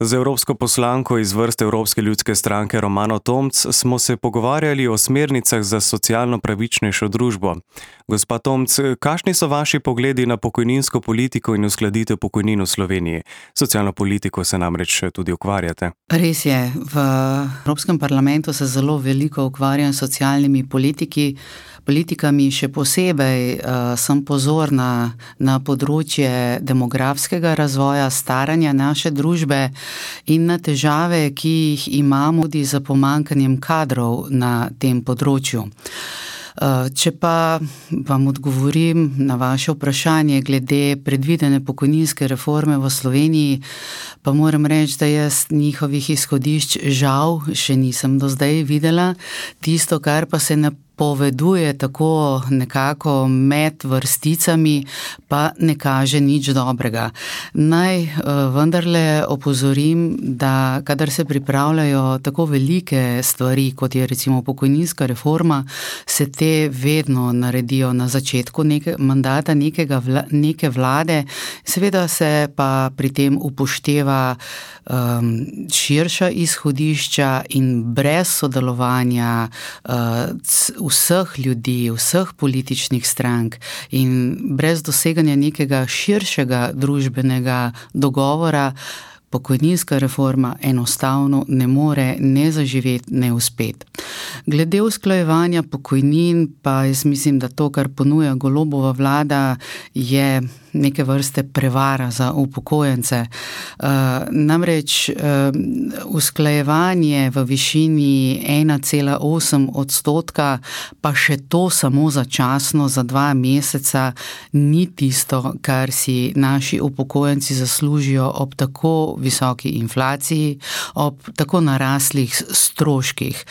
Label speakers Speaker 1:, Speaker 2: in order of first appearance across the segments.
Speaker 1: Z evropsko poslanko iz vrst Evropske ljudske stranke Romano Tomc smo se pogovarjali o smernicah za socialno pravičnejšo družbo. Gospa Tomc, kakšni so vaši pogledi na pokojninsko politiko in uskladitev pokojnin v Sloveniji? Socialno politiko se namreč tudi ukvarjate.
Speaker 2: Res je, v Evropskem parlamentu se zelo veliko ukvarjam s socialnimi politikami, še posebej sem pozorna na področje demografskega razvoja, staranja naše družbe in na težave, ki jih imamo tudi za pomanjkanjem kadrov na tem področju. Če pa vam odgovorim na vaše vprašanje glede predvidene pokojninske reforme v Sloveniji, pa moram reči, da jaz njihovih izhodišč žal še nisem do zdaj videla. Tisto, kar pa se napoveduje tako nekako med vrsticami, pa ne kaže nič dobrega. Naj vendarle opozorim, da kadar se pripravljajo tako velike stvari, kot je recimo pokojninska reforma, se te vedno naredijo na začetku mandata neke vlade, seveda se pa pri tem upošteva širša izhodišča in brez sodelovanja vseh ljudi, vseh političnih strank in brez doseganja nekega širšega družbenega dogovora, pokojninska reforma enostavno ne more ne zaživeti, ne uspeti. Glede usklajevanja pokojnin pa jaz mislim, da to, kar ponuja Golobova vlada, je neke vrste prevara za upokojence. Namreč usklajevanje v višini 1,8%, pa še to samo začasno za 2 meseca, ni tisto, kar si naši upokojenci zaslužijo ob tako visoki inflaciji, ob tako naraslih stroških.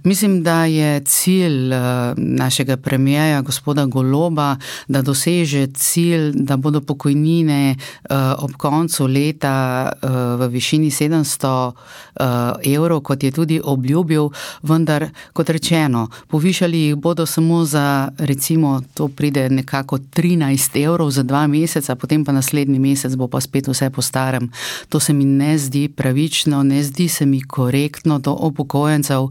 Speaker 2: Mislim, da je cilj našega premierja, gospoda Goloba, da doseže cilj, da bodo pokojnine ob koncu leta v višini 700 evrov, kot je tudi obljubil, vendar, kot rečeno, povišali jih bodo samo za, recimo, to pride nekako 13 evrov za 2 meseca, potem pa naslednji mesec bo pa spet vse po starem. To se mi ne zdi pravično, ne zdi se mi korektno do upokojencev.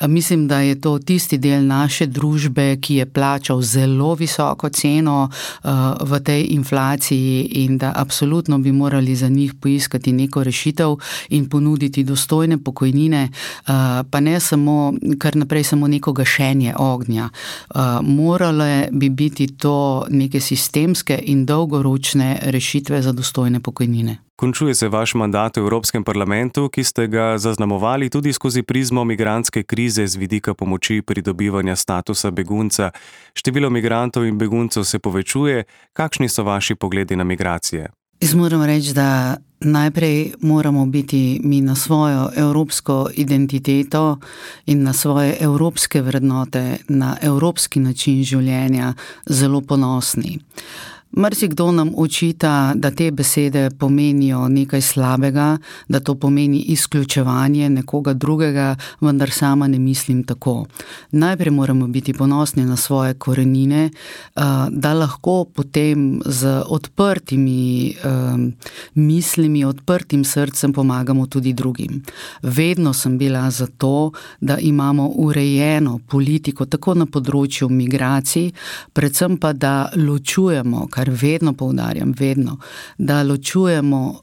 Speaker 2: Mislim, da je to tisti del naše družbe, ki je plačal zelo visoko ceno v tej inflaciji in da absolutno bi morali za njih poiskati neko rešitev in ponuditi dostojne pokojnine, pa ne samo, kar naprej samo neko gašenje ognja. Morale bi biti to neke sistemske in dolgoročne rešitve za dostojne pokojnine.
Speaker 1: Končuje se vaš mandat v Evropskem parlamentu, ki ste ga zaznamovali tudi skozi prizmo migrantske krize z vidika pomoči pridobivanja statusa begunca. Število migrantov in beguncev se povečuje. Kakšni so vaši pogledi na migracije?
Speaker 2: Jaz moram reči, da najprej moramo biti mi na svojo evropsko identiteto in na svoje evropske vrednote, na evropski način življenja zelo ponosni. Marsikdo nam očita, da te besede pomenijo nekaj slabega, da to pomeni izključevanje nekoga drugega, vendar sama ne mislim tako. Najprej moramo biti ponosni na svoje korenine, da lahko potem z odprtimi mislimi, odprtim srcem pomagamo tudi drugim. Vedno sem bila za to, da imamo urejeno politiko tako na področju migracij, predvsem pa da ločujemo, kar vedno poudarjam, da ločujemo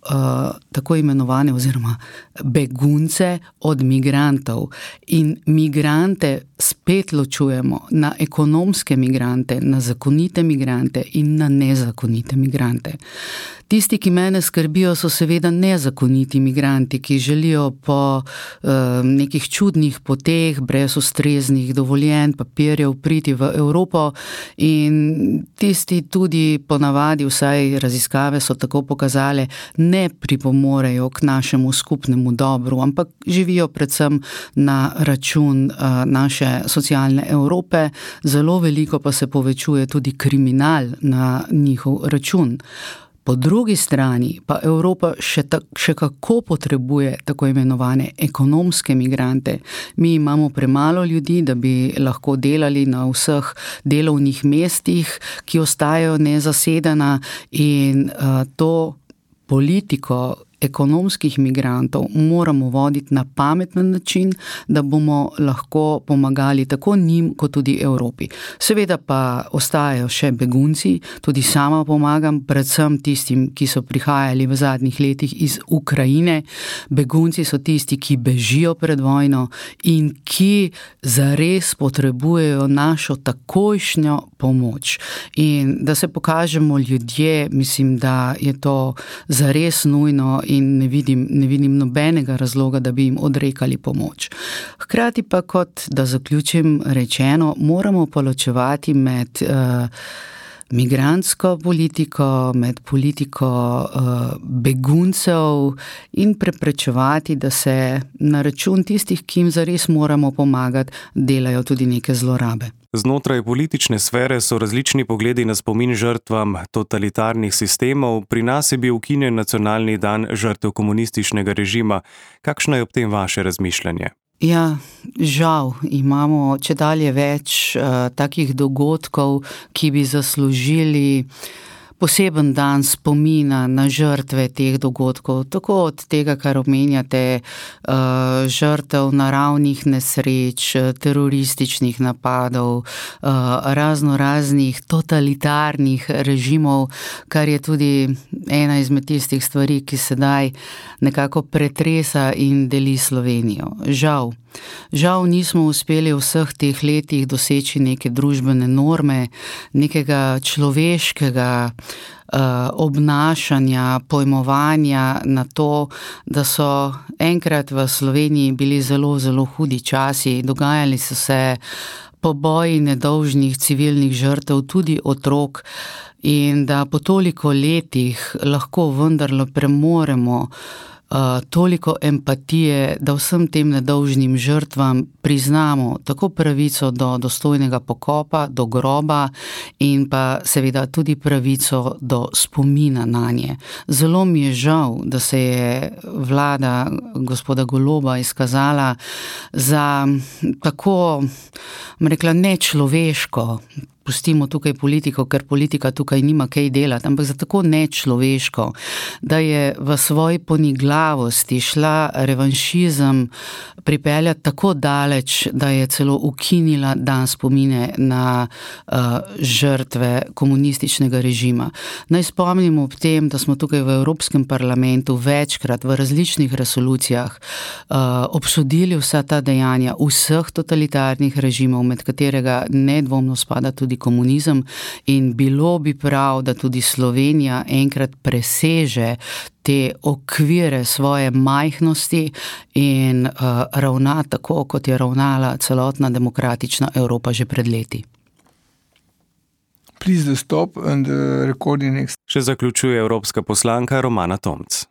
Speaker 2: tako imenovane oziroma begunce od migrantov in migrante spet ločujemo na ekonomske migrante, na zakonite migrante in na nezakonite migrante. Tisti, ki mene skrbijo, so seveda nezakoniti migranti, ki želijo po nekih čudnih poteh, brez ustreznih dovoljenj, papirjev priti v Evropo in tisti tudi ponavadi, vsaj raziskave so tako pokazale, ne pripomorejo k našemu skupnemu dobru, ampak živijo predvsem na račun naše socialne Evrope, zelo veliko pa se povečuje tudi kriminal na njihov račun. Po drugi strani pa Evropa še kako potrebuje tako imenovane ekonomske migrante. Mi imamo premalo ljudi, da bi lahko delali na vseh delovnih mestih, ki ostajajo nezasedena in to politiko ekonomskih migrantov moramo voditi na pameten način, da bomo lahko pomagali tako njim, kot tudi Evropi. Seveda pa ostajajo še begunci, tudi sama pomagam, predvsem tistim, ki so prihajali v zadnjih letih iz Ukrajine. Begunci so tisti, ki bežijo pred vojno in ki zares potrebujejo našo takojšnjo pomoč. In da se pokažemo ljudje, mislim, da je to zares nujno in ne vidim nobenega razloga, da bi jim odrekali pomoč. Hkrati pa, kot da zaključim rečeno, moramo pa ločevati med migrantsko politiko, med politiko beguncev in preprečevati, da se na račun tistih, ki jim zares moramo pomagati, delajo tudi neke zlorabe.
Speaker 1: Znotraj politične sfere so različni pogledi na spomin žrtvam totalitarnih sistemov. Pri nas je bil ukinjen nacionalni dan žrtev komunističnega režima. Kakšno je ob tem vaše razmišljanje?
Speaker 2: Ja, žal imamo čedalje več takih dogodkov, ki bi zaslužili poseben dan spomina na žrtve teh dogodkov, tako od tega, kar omenjate, žrtev naravnih nesreč, terorističnih napadov, raznoraznih totalitarnih režimov, kar je tudi ena izmed tistih stvari, ki sedaj nekako pretresa in deli Slovenijo. Žal nismo uspeli v vseh teh letih doseči neke družbene norme, nekega človeškega obnašanja, pojmovanja na to, da so enkrat v Sloveniji bili zelo, zelo hudi časi, dogajali so se poboji nedolžnih civilnih žrtev, tudi otrok, in da po toliko letih lahko vendarle premoremo toliko empatije, da vsem tem nedolžnim žrtvam priznamo tako pravico do dostojnega pokopa, do groba in pa seveda tudi pravico do spomina nanje. Zelo mi je žal, da se je vlada gospoda Goloba izkazala za tako, rekla, nečloveško. Pustimo tukaj politiko, ker politika tukaj nima kaj delati, ampak za tako nečloveško, da je v svoji poniglavosti šla revanšizem pripeljati tako daleč, da je celo ukinila dan spomine na žrtve komunističnega režima. Naj spomnimo ob tem, da smo tukaj v Evropskem parlamentu večkrat v različnih resolucijah obsodili vsa ta dejanja vseh totalitarnih režimov, med katerega nedvomno spada tudi komunizem, in bilo bi prav, da tudi Slovenija enkrat preseže te okvire svoje majhnosti in ravna tako, kot je ravnala celotna demokratična Evropa že pred leti.
Speaker 1: Še zaključuje evropska poslanka Romana Tomc.